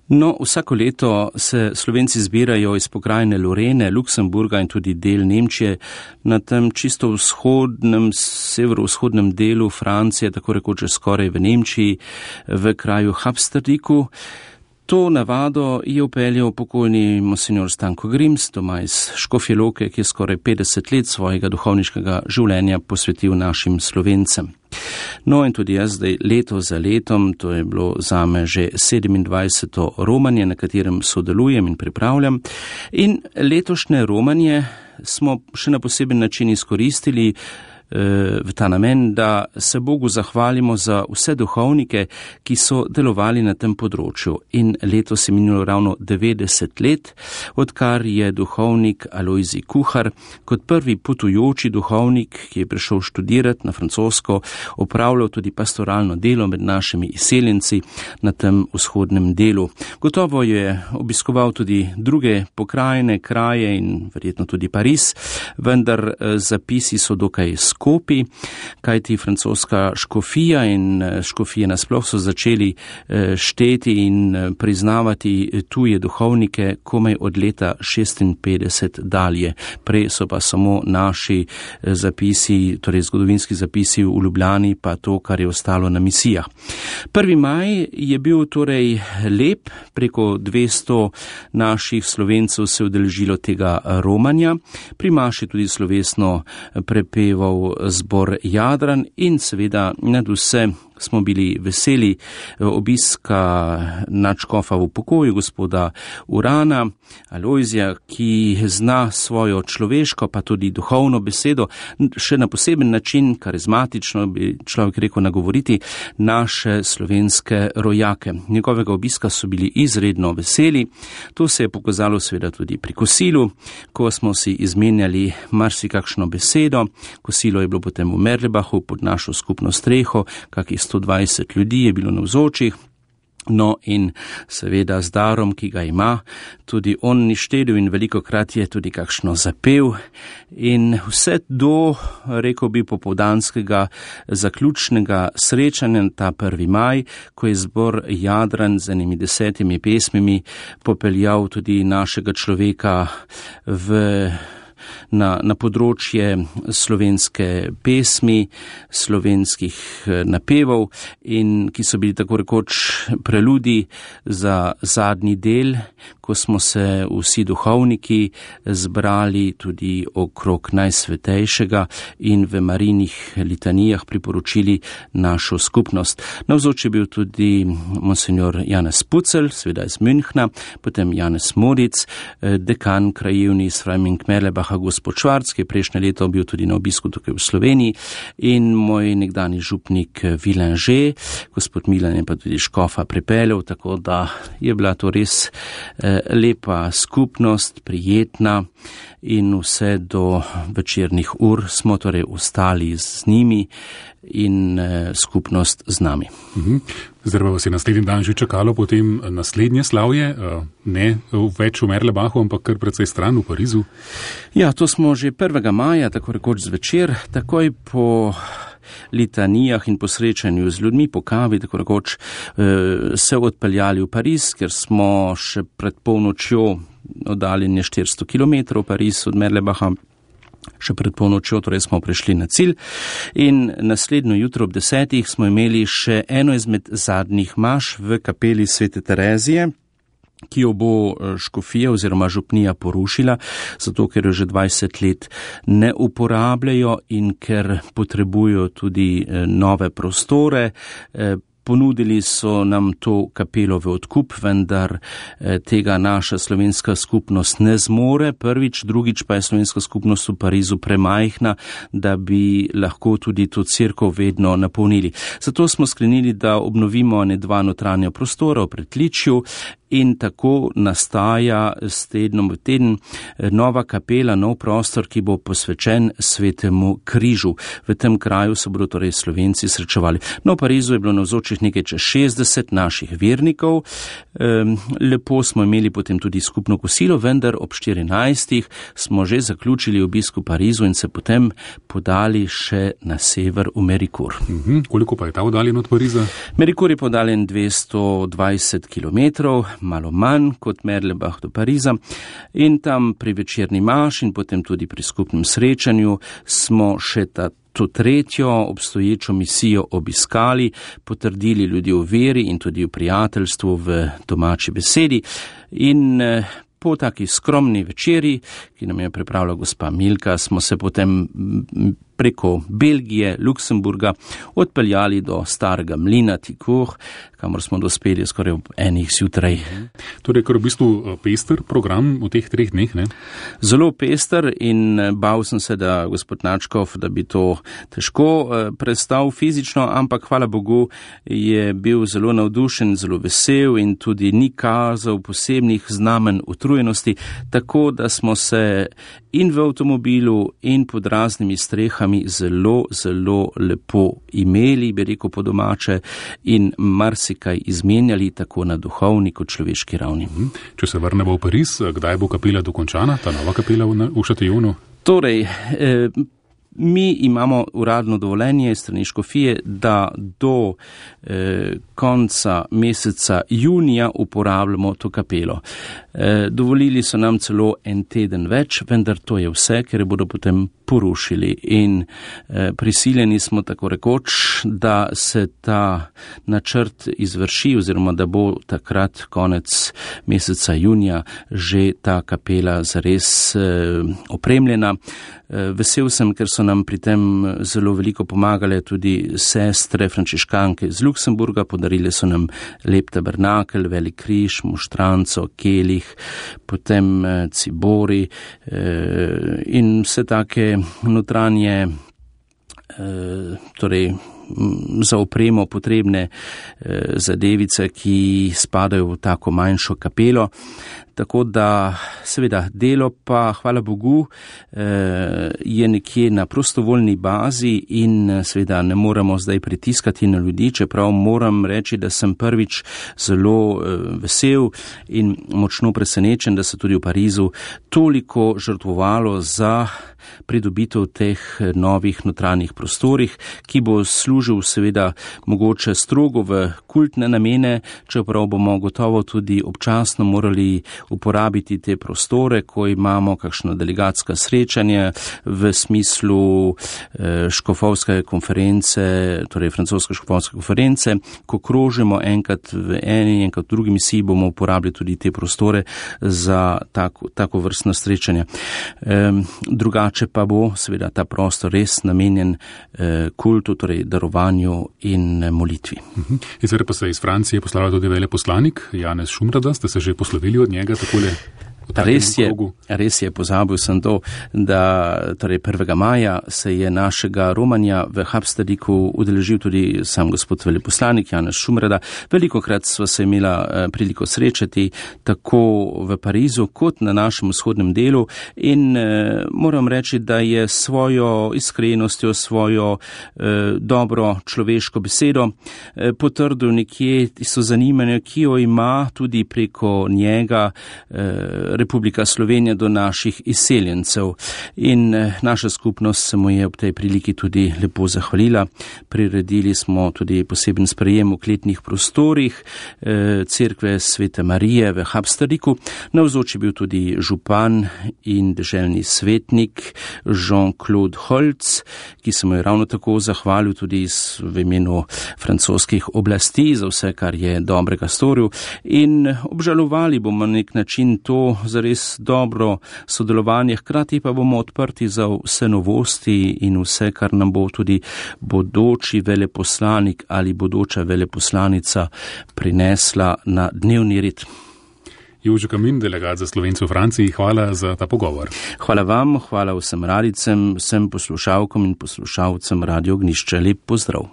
No, vsako leto se Slovenci zbirajo iz pokrajine Lorene, Luksemburga in tudi del Nemčije na tem čisto vzhodnem, severovzhodnem delu Francije, tako rekoč skoraj v Nemčiji, v kraju Habsterdiku. To navado je upeljal pokojni monsignor Stanko Grims, doma iz Škofje Loke, ki je skoraj 50 let svojega duhovniškega življenja posvetil našim Slovencem. No in tudi jaz zdaj leto za letom, to je bilo zame že 27. romanje, na katerem sodelujem in pripravljam. In letošnje romanje smo še na poseben način izkoristili v ta namen, da se Bogu zahvalimo za vse duhovnike, ki so delovali na tem področju. In letos je minilo ravno 90 let, odkar je duhovnik Alojzij Kuhar kot prvi potujoči duhovnik, ki je prišel študirati na francosko, opravljal tudi pastoralno delo med našimi izseljenci na tem vzhodnem delu. Gotovo je obiskoval tudi druge pokrajine, kraje in verjetno tudi Pariz, vendar zapisi so dokaj skopi, kajti francoska škofija in škofije nasploh so začeli šteti in priznavati tuje duhovnike komaj od leta 56 dalje. Prej so pa samo naši zapisi, torej zgodovinski zapisi v Ljubljani, pa to, kar je ostalo na misijah. 1. maj je bil torej lep, preko 200 naših Slovencev se udeležilo tega romanja. Pri maši tudi slovesno prepeval zbor Jadran in seveda nad vse smo bili veseli obiska nadškofa v pokoju, gospoda Urana, Alojzija, ki zna svojo človeško pa tudi duhovno besedo še na poseben način, karizmatično bi človek rekel, nagovoriti naše slovenske rojake. Njegovega obiska so bili izredno veseli. To se je pokazalo seveda tudi pri kosilu, ko smo si izmenjali marsikakšno besedo. Kosilo je bilo potem v Merlebachu pod našo skupno streho, kakih 120 ljudi je bilo navzočih. No in seveda z darom, ki ga ima, tudi on ni štedil in velikokrat je tudi kakšno zapel. In vse do, rekel bi, popoldanskega zaključnega srečanja ta 1. maj, ko je zbor Jadran z enimi 10 pesmimi popeljal tudi našega človeka na področje slovenske pesmi, slovenskih napevov in ki so bili tako rekoč preludi za zadnji del, ko smo se vsi duhovniki zbrali tudi okrog najsvetejšega in v Marijinih litanijah priporočili našo skupnost. Navzoč je bil tudi monsignor Janez Pucelj, seveda iz Münchna, potem Janez Modic, dekan krajevni iz Freiming-Merlebacha, gospod Švarc, ki je prejšnje leto bil tudi na obisku tukaj v Sloveniji, in moj nekdani župnik Vilanže, gospod Milan je pa tudi škofa pripeljal, tako da je bila to res lepa skupnost, prijetna in vse do večernih ur smo torej ostali z njimi in skupnost z nami. Zdaj pa vas je naslednji dan že čakalo potem naslednje slavje, ne več v Merlebachu, ampak kar precej stran v Parizu. Ja, to smo že 1. maja, tako rekoč zvečer, takoj po litanijah in po srečanju z ljudmi, po kavi, tako rekoč, se odpeljali v Pariz, ker smo še pred polnočjo oddaljeni 400 km Pariz od Merlebacha. Še pred polnočjo, torej smo prišli na cilj in naslednjo jutro ob 10. smo imeli še eno izmed zadnjih maš v kapeli Svete Terezije, ki jo bo škofija oziroma župnija porušila, zato ker jo že 20 let ne uporabljajo in ker potrebujo tudi nove prostore. Ponudili so nam to kapelo v odkup, vendar tega naša slovenska skupnost ne zmore. Prvič, drugič pa je slovenska skupnost v Parizu premajhna, da bi lahko tudi to cerkev vedno napolnili. Zato smo sklenili, da obnovimo 2 notranja prostora v pritličju in tako nastaja s tednom v teden nova kapela, nov prostor, ki bo posvečen Svetemu križu. V tem kraju se bodo torej Slovenci srečevali. No, v Parizu je bilo navzočih nekaj čez 60 naših vernikov. Lepo smo imeli potem tudi skupno kosilo, vendar ob 14. smo že zaključili obisk v Parizu in se potem podali še na sever v Mericourt. Koliko pa je ta oddaljen od Pariza? Mericourt je podaljen 220 km, malo manj kot Merlebach do Pariza in tam pri večerni maši in potem tudi pri skupnem srečanju smo še to tretjo obstoječo misijo obiskali, potrdili ljudi v veri in tudi v prijateljstvu v domači besedi in po taki skromni večeri, ki nam je pripravila gospa Milka, smo se potem preko Belgije, Luksemburga odpeljali do starega mlina Ticourt, kamor smo dospeli skoraj ob 1 zjutraj. Torej, kar v bistvu pester program v teh 3 dneh, ne? Zelo pester in bal sem se, da gospod Načkov, da bi to težko prestal fizično, ampak hvala Bogu je bil zelo navdušen, zelo vesel in tudi ni kazal posebnih znamen utrujenosti, tako da smo se in v avtomobilu in pod raznimi strehami zelo, zelo lepo imeli, bi rekel po domače, in marsikaj izmenjali tako na duhovni kot človeški ravni. Če se vrnemo v Pariz, kdaj bo kapela dokončana, ta nova kapela v Chatillonu? Torej, mi imamo uradno dovoljenje iz strani škofije, da do konca meseca junija uporabljamo to kapelo. Dovolili so nam celo 1 teden več, vendar to je vse, ker bodo potem porušili in prisiljeni smo tako rekoč, da se ta načrt izvrši oziroma da bo takrat konec meseca junija že ta kapela zares opremljena. Vesel sem, ker so nam pri tem zelo veliko pomagale tudi sestre frančiškanke iz Luksemburga, podarile so nam lep tabernakel, velik križ, moštranco, kelih, potem cibori in vse take notranje, torej za opremo potrebne zadevice, ki spadajo v tako manjšo kapelo. Tako da seveda delo pa, hvala Bogu, je nekje na prostovoljni bazi in seveda ne moramo zdaj pritiskati na ljudi, čeprav moram reči, da sem prvič zelo vesel in močno presenečen, da se tudi v Parizu toliko žrtvovalo za pridobitev teh novih notranjih prostorih, ki bo služil seveda mogoče strogo v kultne namene, čeprav bomo gotovo tudi občasno morali uporabiti te prostore, ko imamo kakšno delegatska srečanje v smislu škofovske konference, torej francoske škofovske konference, ko krožimo enkrat v eni, enkrat v drugi misiji, bomo uporabili tudi te prostore za tako vrstno srečanje. Drugače pa bo seveda ta prostor res namenjen kultu, torej darovanju in molitvi. In zdaj pa se iz Francije poslala tudi veleposlanik Janez Šumrada, ste se že poslovili od njega takole? Res je, pozabil sem to, da torej 1. maja se je našega romanja v Habstadiku udeležil tudi sam gospod veleposlanik Janez Šumrada. Velikokrat sva se imela priliko srečati tako v Parizu kot na našem vzhodnem delu in moram reči, da je svojo iskrenostjo, svojo dobro človeško besedo potrdil nekje tisto zanimanje, ki jo ima tudi preko njega Republika Slovenija do naših izseljencev. In naša skupnost se mu je ob tej priliki tudi lepo zahvalila. Priredili smo tudi poseben sprejem v kletnih prostorih cerkve Svete Marije v Habstadiku. Navzoč je bil tudi župan in deželni svetnik Jean-Claude Holc, ki se mu je ravno tako zahvalil tudi v imenu francoskih oblasti za vse, kar je dobrega storil. In obžalovali bomo na nek način to zares dobro sodelovanje, hkrati pa bomo odprti za vse novosti in vse, kar nam bo tudi bodoči veleposlanik ali bodoča veleposlanica prinesla na dnevni red. Jože Kamin, delegat za Slovence v Franciji, hvala za ta pogovor. Hvala vam, hvala vsem radicem, vsem poslušalkom in poslušalcem Radio Ognjišče. Lep pozdrav.